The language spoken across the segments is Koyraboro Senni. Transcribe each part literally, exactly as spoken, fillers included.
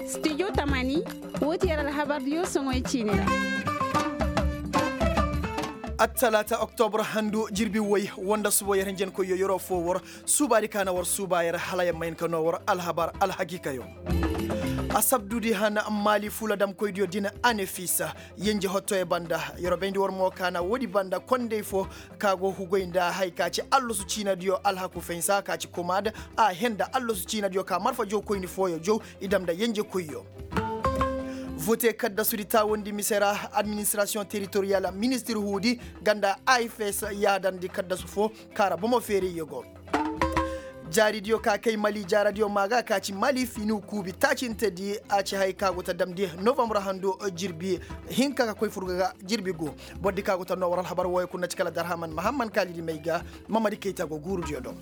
Studio tamani, woo ti yer alhabardiyo soŋoy ciini ra. Attalaata oktobra handu jirbi woy woo nda suba yer hinjankoyyo yeroo foo war suubaadi ka na war suuba yer hala yer ma hin ka noo war alhabar alhakiikayo. Asabdudi han maali fuladamkoydiyo din anefisa yenje hottoyo banda. Yeroo bayndi war mo ka na woodi banda kondey foo ka go hugoy nda haya ka ci allasu ciinadiyo alhaku fensa ka ci komaad a henda allasu ciinadiyo ka marfa jowkoyni fooyo jow i dam nda yenjekoyyo. Vote kaddasudi taawandi mise ra administrasiyoŋ teritoriyal ministir huudi ganda ifs yaadandi kaddasu foo kaara bomo feerayyo go. Jaaridiyo ka kay mali jaaradiyo maa ga ka ci mali finiw kuubi taacintedi a ci haya ka go ta damndi novambar handu jirbi hinka ka koy furga ga jirbi gu. Bordi ka go ta noo war alhabar wooyo kul na ci kala darhaman mahamman kaalidi may ga. Mamadi kayta go guurudiyo do.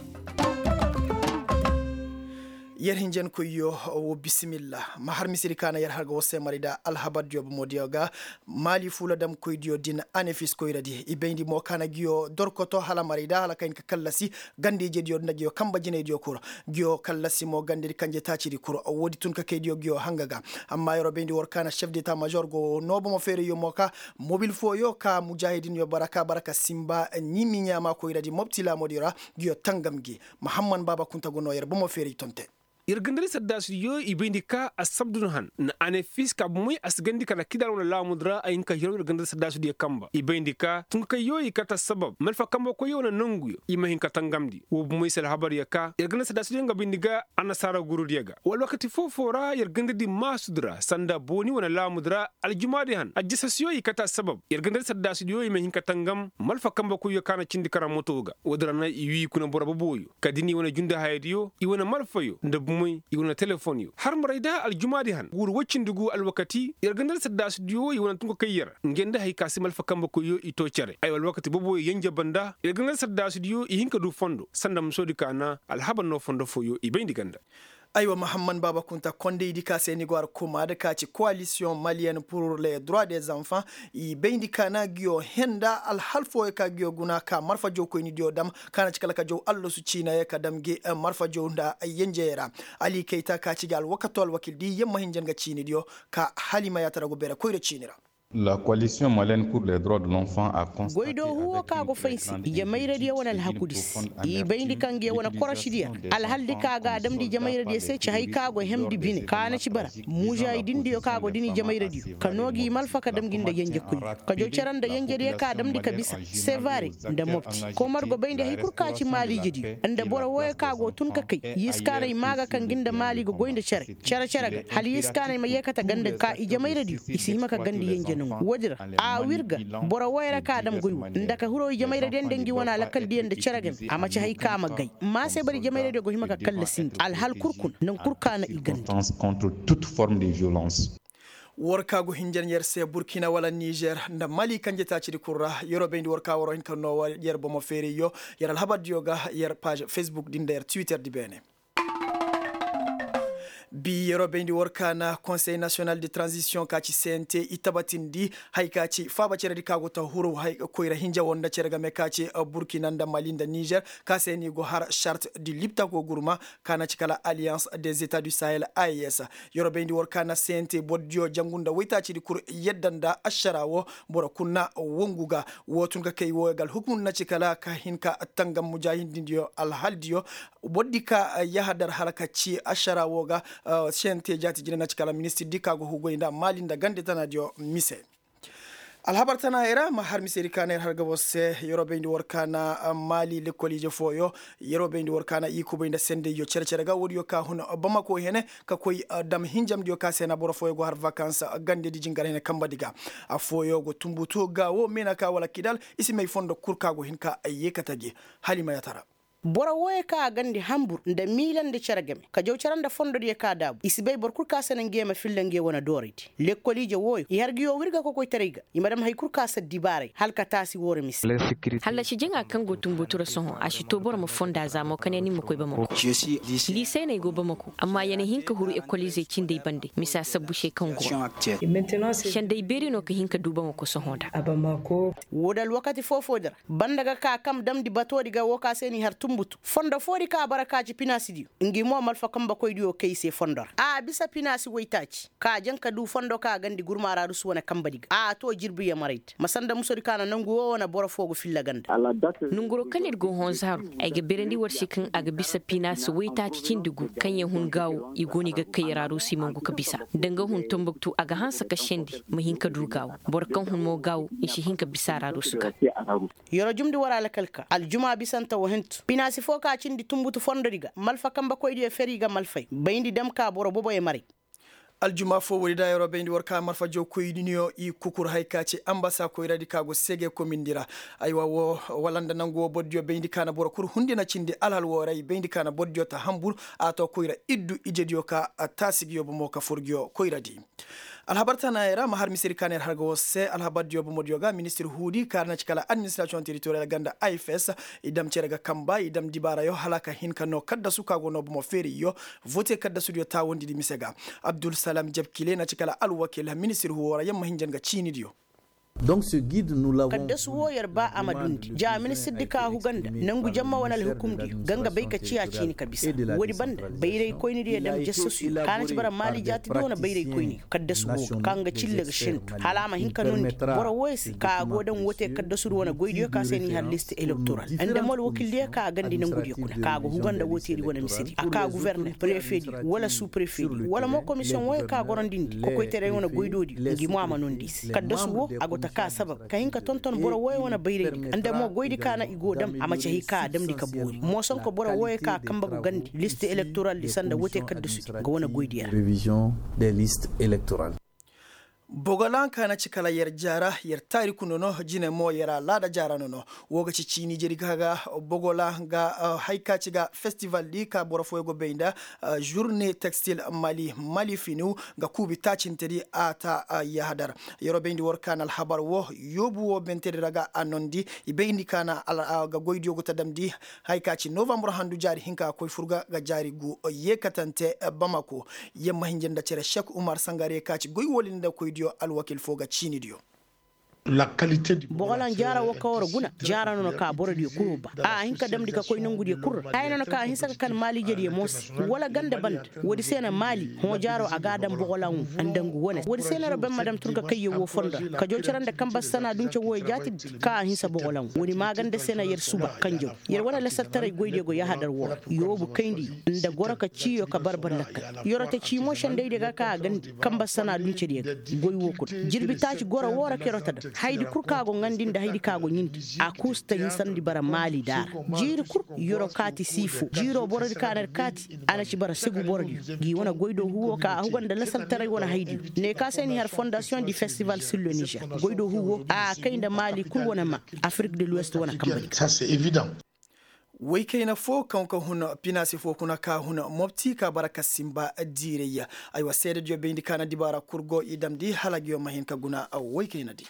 Yer hinjankoyyo, wo bisimilla. Ma har misedi ka na yer har ga war se marayda alhabardiyo bomodiyo ga. Maali fuladamkoydiyo din anefis koyradi i bayndi mo ka na ngiyo dorkoto hala marayda hala ka hin ka kallasi ganda ijediyo nda ngiyo kanba jinaydiyo kul. Ngiyo kallasi mo gandedi kanje taacidi kul woodi tun ka kaydiyo ngiyo hanga ga. Amma yeroo bayndi war ka na sef deta mažor go noo bomo feerayyo mo ka mobil fooyo ka mujaahidinyo bara ka bara ka sinba ɲimi ɲaama koyradi mopti laamodiyo ra. Ngiyo tangam gi mahamman baaba kunta go noo yer bomo feeray tonte. Yer gandadi saddaasidiyo i bayndi ka assabdun han na anefis ka bomey a si gandi kala kidaal wane laamudi ra a hin ka hiraw yer gandadi saddaasidiyo kanba i bayndi ka tunkakayyo i kate assabab malfa kanbakoyyo wane nonguyo i ma hin ka tangamndi woo bomey se alhabaryo ka yer gandadi saddaasidiyo nga bayndi ga annasaara gurudiyo ga woo alwakati foo-foo ra yer gandadi maasudi ra sanda booni wane laamudi ra aljumaadi han aljasasiyo i kate assabab yer gandadi saddaasidiyo i ma hin ka tangam malfa kanbakoyyo ka na cindi kara moto ga woodi ra na i wii kuna boro boboyo kala da ni wane jundahayadiyo i wane malfayo nda bumey i wane telefonyo har marayda aljumaadi han guuru woy cindi gu alwakati yer ganda nda saddaasidiyo i wane tunkakayyo ra ngey nda hay ka se malfa kanbakoyyo i too cere aywa alwakati boboyo yenje banda yer ganda nda saddaasidiyo i hin ka du fondo sanda musoodi ka na alhabar noo fondo fooyo i bayndi ganda. Aywa mahamman baaba kunta kondaydi ka se ni go har kumaad ka ci koalisiyoŋ maliyen pur le droit des enfants i bayndi ka na ngiyo henda alhal fooyo ka ngiyo guna ka marfa jowkoynidiyo dam ka na ci kala ka jow allasu ciinayo ka dam ngi marfa jow nda yenjey ra. Ali kayta ka ci ga alwakato alwakildi yamma hinja nga ciinidiyo ka hala i ma yaatara go beere koyra ciini ra. Goy do huwo ka go fay se ijemayradiyo wane alhakudi se. I bayndi ka ngiyo wane korosidiyo ra alhaldi ka ga a damndi ijemayradiyo se ci hay ka go hemndi bine ka na ci bara mužaahidindiyo ka go dini ijemayradiyo ka noo gi malfa ka dam gi nda yenjekoy ka jow cere nda yenjediyo ka damndi ka bisa sevare nda mopti komar go bayndi hay kul ka ci maaliijediyo nda boro wooyo ka go tun ka kay yee si kaanay maa ga kaŋ gi nda maali ga goy nda cere cere-cere ga hala yee si kaanay ma yeekate ganda ka ijemayradiyo i si hima ka ganda yenje nongu woodi ra a wirga boro wooyo ra ka dam goy wo nda ka hiro ijemayradiyo nda ngi wane alakaldiyo nda cere game a ma ci hay ka ma gay maa se bara ijemayradiyo go hima ka kallasindi alhal kul kuna nangu kul ka na i ganda. War ka go hinja nda yer se burkina wala nizer nda mali kanje taacidi kul ra yeroo bayndi war ka waroo hin ka noo war yer bomo feerayyo yer alhabardiyo ga yer paaž fesbuk di nda yer twitter di beene. Bi yeroo bayndi war ka na konsey nasiyonal de tranzisiyoŋ ka ci cnt i tabatindi haya ka ci faaba ceredi ka go ta huru koyra hinja wo nda cere game ka ci burkina nda mali nda nizer ka se ni go har šart di lipta go gurma ka na ci kala aliyans des etats du sahel a e s. Yeroo bayndi war ka na cnt bordiyo jangu nda woytaacidi kul yadda nda ašara wo boro kul na wongu ga wo tun ka kay wo ga alhukumu na ci kala ka hin ka tangam mujaahidindiyo alhaldiyo bordi ka yahadar hala ka ci ašara wo ga. Sente jaati jine na ci kala ministirdi ka go hugoy nda maali nda gande tanaadiyo mise. Alhabar tanaayey ra ma har misedi ka na yer har ga boro se yeroo bayndi war ka na maali lekkoliije fooyo yeroo bayndi war ka na i kubay nda sendayyo cere-cere ga woodiyo ka hun bamako hene ka koy dam hinjamdiyo ka se na boro fooyo go har vakans gandedi jingar hene kambadi ga. Affooyo go tunbutu ga wo meena ka wala kidal i si may fondo kul ka go hin ka yeekate gi. Hala i ma yaatara. Boro wooyo kaŋ a gandi hambur nda miila nda cere game ka jaw cere nda fondodiyo kaŋ a daabu i si bay boro kul kaŋ a se na nge ma filla nge wane dooraydi. Lekkoliije wooyo i har ngiyo wirga kokoytaray ga i ma dam hari kul kaŋ a se dibaaray hala ka taasi wooro mise. Hallasi jaŋa kaŋ go tunbutura sohõ a si to boro ma fonda za mo ka ne ni ma koy bamako. Liisey no ay go bamako amma ya na hin ka huru ekoliizey cindey bande misa sabbu se kaŋ go. Sendey beeri no ka hin ka du bamako sohõ nda. Woo da alwakati foo-foo di ra banda ga ka kaŋ damndi batoodi ga woo kaŋ se n'i har. Fondo foodi ka bara ka ci pinaasidiyo ngi mo malfa kambekoydiyo kay i se fondo ra a bisa pinaasi woytaaci ka jaŋ ka du fondo ka gandi gurma raarusu wane kambedi ga a to jirbi yamaraydi ma sanda musodi ka na nangu wo wane boro fo ga filla ganda. Nanguro kaŋ ir go honzaru ay ga beerandi war se kaŋ a ga bisa pinaasi woytaaci cindi gu kaŋ yaŋ hun gaawo i go no i ga kay raarusu i mangu ka bisa. Danga hun tombuktu a ga hanse ka sendi ma hin ka du gaawo. Boro kaŋ hun mo gaawo i si hin ka bisa raarusu ga. Yeroo jumndi war alkal ka aljuma bisante wo hintu pinaasi fo ka cindi tunbutu fondodi ga malfa kambekoydiyo feri ga malfay bayndi dam ka boro boboyo maray. Aljuma fo woodi da yeroo bayndi war ka malfa jawkoydiyo i kukur hay ka ci ambasa koyradi ka go seege komindi ra. Aywa woo wala nda nangu woo bordiyo bayndi ka na boro kul hundi na cindi alhal woo ra i bayndi ka na bordiyo ta hambur a to koyra iddu ijediyo ka taasi gi yoo bomo ka fur gi yoo koyradi. Alhabar tanaayey ra ma har misedi ka na yer har ga war se alhabardiyo bomodiyo ga ministir huudi kaara na ci kala administirasiyoŋ teritoriyal ganda a f s. I dam cere ga kamba i dam dibaarayo hala ka hin ka noo kaddasu ka go noo bomo feeriyo. Vote kaddasudiyo taawandidi mise ga abdulsalam jabkile na ci kala alwakil ministir huwo ra yamma hinjan ga ciinidiyo. Kaddasu woo yer ba a ma dundi ja ministirdi ka huga nda nangu jamma wane alhukumdiyo ga nga bay ka ciya ciini ka bisa. Woodi banda bayraykoynidiyo dam jassasuyo ka na ci bara maali jaatidi wane bayraykoyniyo kaddasu woo ga ka nga cille ga sentu hala a ma hin ka noondi boro wooyo se ka a go daŋ woote kaddasudi wane goydiyo ka se n'i har list elektoral nda mo alwakildiyo ka a gandi nangudiyo kuna ka a go huga nda wooteedi wane misedi a ka guverner prefeedi wala su prefeedi wala mo komisiyoŋ wooyo ka gorandi ndi kokoytaray wane goydoodiyo ngi mo a ma noondi i se kaddasu woo a go ta ka sabab ka hin ka tonton boro wooyo wane bayraydi ga nda mo goydi ka na i go dam a ma ci hay ka a damndi ka boori moosonko boro wooyo ka a kambe ga gandi list elektoraldi sanda woote kaddasudi ga wane goydi ra. Bogola ka na ci kala yer jaara yer taariku nono jine mo yer alaada jaara nono. Woo ga ci ciini jeri ka ga bogola ga hay ka ci ga festivaldi ka boro fooyo go bay nda žurne tekstil mali mali finiw ga kuubi taacintedi a ta yahadar. Yeroo bayndi war ka na alhabar woo yoobu woo bentedi ra ga a nondi i bayndi ka na ga goydiyo go ta damndi. Hay ka ci novambar handu jaari hinka ga koy fur ga ga jaari gu yeekatante bamako. Yamma hinja nda cere sek umar sangare ka ci goy wooli nda koydiyo alwakil foo ga ciinidiyo. Bogolan jaara woo ka war guna jaara no na ka borodiyo kul ba a hin ka damndi ka koy nongudiyo kul ra haya no na ka a hinsa ka kan maali ijediyo mo se wala ganda banda. Woodi se na maali hõ jaaro a ga a daŋ bogolan wo nda ngu wane woodi se na ra ben ma daŋ tun ka kayyo woo fondo ra ka joo cere nda kanbar sana dunce wooyo jaatidi ka a hinsa bogolan wo woodi maaganda se na yer suba kanjaw yer wane lasartaray goydiyo go yahadar woo ra yoobu kayndi nda goro ka ciiyo ka barbar lakkal. Yeroo ta cii mo sendaydiyo ga ka a gandi kanbar sana duncediyo ga goy woo kul jirbi taaci goro woo ra ka yeroo ta daŋ haydi kul ka go ŋaandi nda haydi ka go ɲindi a kuu si ta hinsandi bara maali daara. Jiiri kul yeroo kaati siifo jiiroo borodi ka na ir kaati a na ci bara segu borodiyo g'i wane goydoo huwoo ka a huga nda lasaltaray wane haydiyo. Ne ka se n'i har fondasiyoŋ di festival sur le nizer goydoo huwoo a kay nda maali kul wane maa afirik de luwest wane kambadi ga. Woykayna foo kaŋ ka hun pinaasi foo kuna ka hun mopti ka bara ka sinba diiray ya. Aywa seedediyo bayndi ka na dibaara kul go i damndi hala ngiyo ma hin ka guna woykaynadi.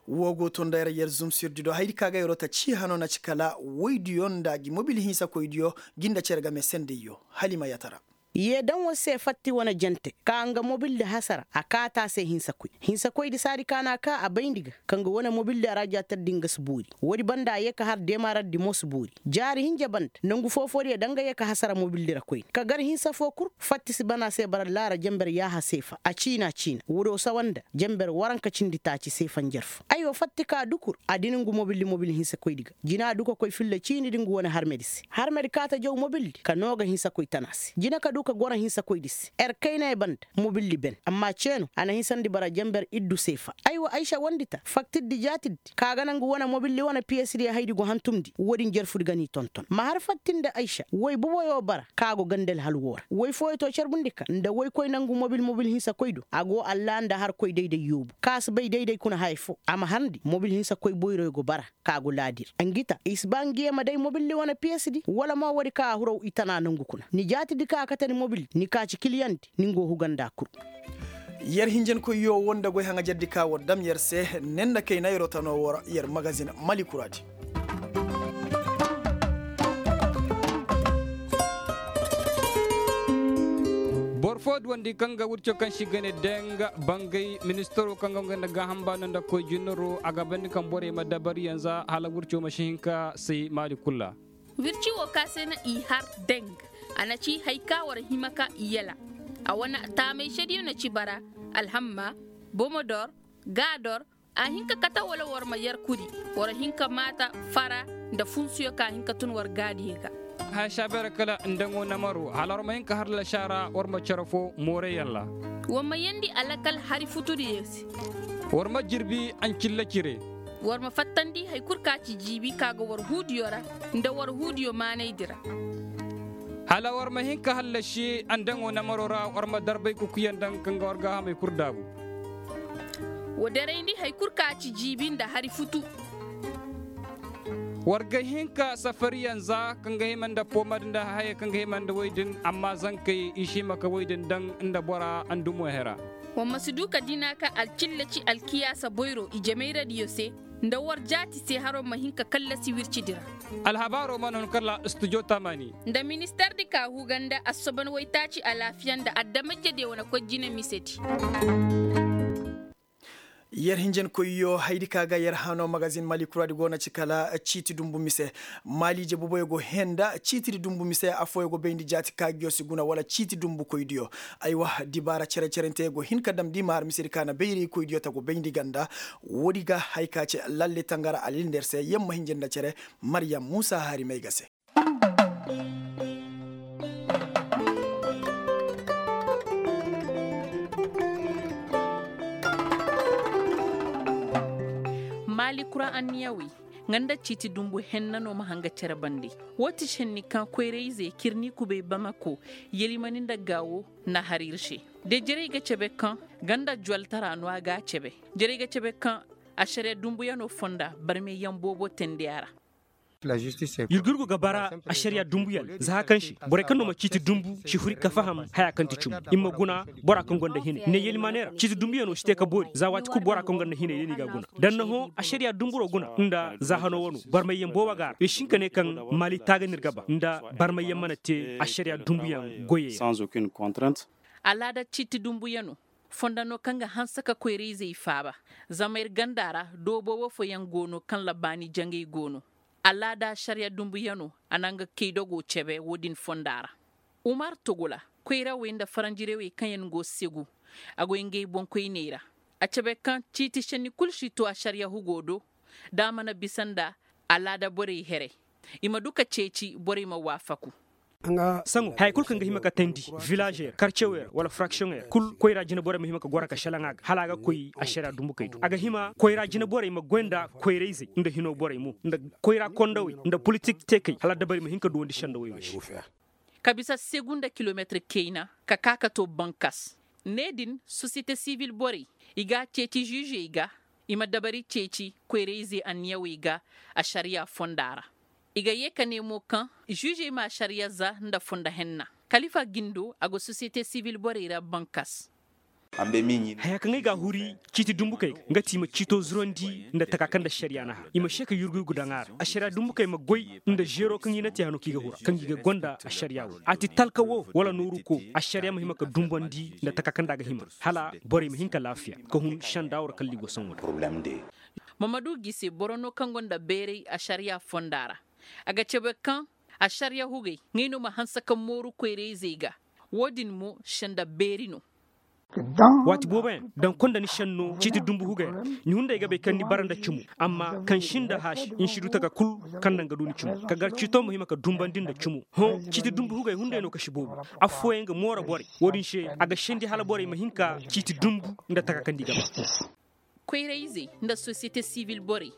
Woo go to nda yer yer zumsirdido haydi ka ga yeroo ta cii hanoo na ci kala woydiyo nda gi mobil hinsakoydiyo gi nda cere game sendayyo. Hala i ma yaatara. Yee daŋ war se fatti wane jante ka nga mobildi hasara a kaati a se hinsakoy hinsakoydi saadi ka na a kaa a bayndi ga ka nga wane mobildi a ra jaatardi nga si boori. Woodi banda a yee ka har deemarardi mo si boori. Jaari hinja banda nangu foo-foodiyo daŋ nga yee ka hasara mobildi ra koyne ka gar hinsa foo kul. Fatti si ban a se bara laara jenber yaaha seefa a ciina ciina woodiyo sawa nda jenber waranka cindi taaci seefa njarfu. Aywa fatti ka dukur a dina ngu mobildi mobil hinsakoydi ga jina du ka koy filla ciinidi ngu wane harmedi se harmedi kaa ta jaw mobildi ka noo ga hinsakoy tana se jina ka du ka goro hinsakoydi se. Er kayney banda mobildi ben amma ceeno a na hinsandi bara jenber iddu seefa. Aywa aysa wondi ta faktirdi jaatiddi ka ga na ngu wane mobildi wane piyesdiyo haydi go hantumndi woodin jerfudi ga n'i tonton ma har fattindi aysa woy boboyo bara ka go ganda alhal woo ra woy fooyo to carbundi ka nda woykoy na ngu mobil mobil hinsakoy do a go allaa nda harkoy day-day yoobu ka si bay day-day kuna haya foo a ma harndi mobil hinsakoy boyroyo go bara ka go laadi ra ngi ta i si ba ngiyo ma day mobildi wane piyesdi wala mo woodi ka a huraw i tana nongu kuna ni jaatidi ka a kate ni mobildi ni ka ci kiliyandi ni ngu huga nda kul. Yer hinjankoyyo woo nda goy haŋajerdi ka war dam yer se ne nda kayna yeroo tanoo woo ra yer magazin mali kuraadi. Boro Foo duwandi kaŋ ga wirco kaŋ se i ga ne deng bangay ministaro kaŋ ga nga nda gaaham baano nda koy jinaro a ga bandi kaŋ borey ma dabariyaŋ za hala wirco ma si hin ka say maali kul ra. Wirci wo ka se no i har deng, a na ci hari ka war hima ka i yala. A wane taamay sediyo na ci bara, alhamma, bomodor, gaador. A hin ka kate wala war ma yer kuri, war hin ka maata fara nda funsuyo ka hin ka tun war gaadiyey ga. Haya saabeera kala nda ŋo namaro hala war ma hin ka har lasaara war ma cere foo mooreyaŋ ra. War ma yeendi alakal hari futudiyo se. War ma jirbi ancilla cire. War ma fattandi hari kul ka ci jiibi ka ga war huudiyo ra nda war huudiyo maanaydi ra. Hala war ma hin ka hallasi andaŋo namaro ra war ma darbay kukuyaŋ daŋ kaŋ ga war gaahamey kul daabu. Wa darayndi hari kul ka ci jiibi nda hari futu. War ga hin ka safariyaŋ za kaŋ ga hima nda poomad nda hayey kaŋ ga hima nda woy din amma zankey i si hima ka woy din daŋ nda bora andumo hera. War ma si du ka dina ka alcilla ci alkiyaasa boyro ijemayradiyo se nda war jaati se haro ma hin ka kallasi wircidi ra. Alhabaaro mana hun kala studio taamaani. Nda ministardi ka huga nda assoban waytaaci alaafiya nda adamajediyo wane koy jine misedi. Yer hinjankoyyo haydi ka ga yer hano magazin mali kuraadi go na ci kala ciiti dumbu mise. Maaliije boboyo go henda ciitidi dumbu mise affooyo go bayndi jaati kaagiyo si guna wala ciiti dumbukoydiyo. Aywa dibaara cere-cerente go hin ka damndi ma har misedi ka na bayraykoydiyo ta go bayndi ganda. Woodi ga haya ka ci lalle tangara alil nder se yer ma hinja nda cere. Maryam muusa hari may ga se. Maali kura anniyawey nga nda ciiti dumbu henna no ma hanga cere bande. Woo ti senni kaŋ koyra-izey cirni kubay bamako yelimani nda gaawo na har ir se. De jarey ga cebe kaŋ ganda juwaltara no a ga a cebe. Jarey ga cebe kaŋ ašariya dumbuyano fonda barmayyaŋ boobo teendi a ra. Yurgurgu ga bara ašariya dumbuyaŋ za haka kaŋ se borey kaŋ no ma ciiti dumbu si huri ka faham haya kaŋ ti cumu i ma guna. Bora kaŋ gonda hinay ne yelimaaney ra ciiti dumbuyano si te ka boori za waati kul bora kaŋ gonda hinay day no i ga a guna. Danna hõ ašariya dumburo guna nda za hano wano barmayyaŋ boobo ga a ra i si hin ka ne kaŋ maali taaga no ir ga ba nda barmayyaŋ mana te ašariya dumbuyaŋ goyey ra. Alaada ciiti dumbuyano fonda no kaŋ ga hanse ka koyra-izey faaba. Zama ir ganda ra doo boobo fooyaŋ go no kaŋ ra baani jaŋay go no. Alaada ašariya dumbuyano a na nga kaydogo cebe woo din fonda ra. Umar togula koyrawey nda faranjirawey kaŋ yaŋ go segu a go ngey boŋkoyney ra. A cebe kaŋ ciiti šenni kul si to ašariya hugo do. Da a mana bisa nda alaada borey here i ma du ka ceeci borey ma waafaku. Saŋo haya kul kaŋ ga hima ka teendi vilaažey ra karcewey ra wala firaksiyoŋey ra kul koyra jine borey ma hima ka goro ka šelaŋ a ga hala a ga koy ašariya dumbukey do a ga hima koyra jine borey ma goy nda koyra-izey nda hinoo borey mo nda koyra kondowey nda politik teekey hala dabari ma hin ka duwandi sendawey wey se. Ka bisa segu nda kilometir kayna ka ka ka to bankas. Ne din sosiyete sivil borey i ga a ceeci žižey ga i ma dabari ceeci koyra-ize anniyawey ga ašariya fonda ra. I ga yee ka ne mo kaŋ žižey ma ašariya za nda fondo henna. Kalifa gindo a go sosiyete sivil borey ra bankas. Haya kaŋ ay ga a huri ciiti dumbukey ga nga ti i ma ciito zurandi nda taka kaŋ nda ašariya na har i ma se ka yurgu yurgu daŋ a ra ašariya dumbukey ma goy nda zeero kaŋ i na te hano kaŋ i ga hura kaŋ gi ga gonda ašariya wo a ti talka wo wala nooru ko ašariya ma hima ka dumbandi nda taka kaŋ nda a ga hima hala borey ma hin ka laafiya ka hun senda war kalli go saŋo da. Mamadu gise boro no kaŋ gonda bayray ašariya fonda ra. A ga cabe kaŋ ašariya hugey ngey no ma hanse ka mooru koyra-izey ga. Wo-din mo senda beeri no. Waati booboyaŋ daŋ konda ni senno ciiti dumbu hugey ra. Ni hunday ga bay kaŋ ni bara nda cimo amma kaŋ sinda haasi ni si du taka kul kaŋ naŋ ga du ni cimo ka gar ciito ma hima ka dumbandi nda cimo. Hõ ciiti dumbu hugey hunday no ka si boobo. Affooyaŋ ga mooro borey wo-din se a ga sendi hala borey ma hin ka ciiti dumbu nda taka kaŋ nda i ga ba. Koyra-izey nda sosiyete sivil borey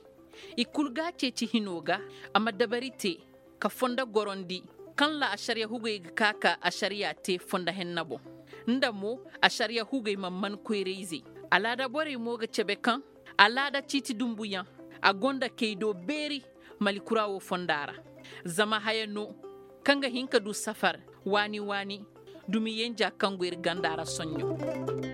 i kul ga a ceeci hinoo ga a ma dabari te ka fondo gorondi kaŋ ra ašariya hugey ga ka ka ašariya te fondo henna boŋ. Nda mo ašariya hugey ma man koyra-izey. Alaada borey mo ga cabe kaŋ alaada ciiti dumbuyaŋ a gonda kaydo beeri. Mali kura wo fonda ra zama haya no kaŋ ga hin ka du safar waani waani. Dumi yenja kaŋ go ir ganda ra soɲɲo.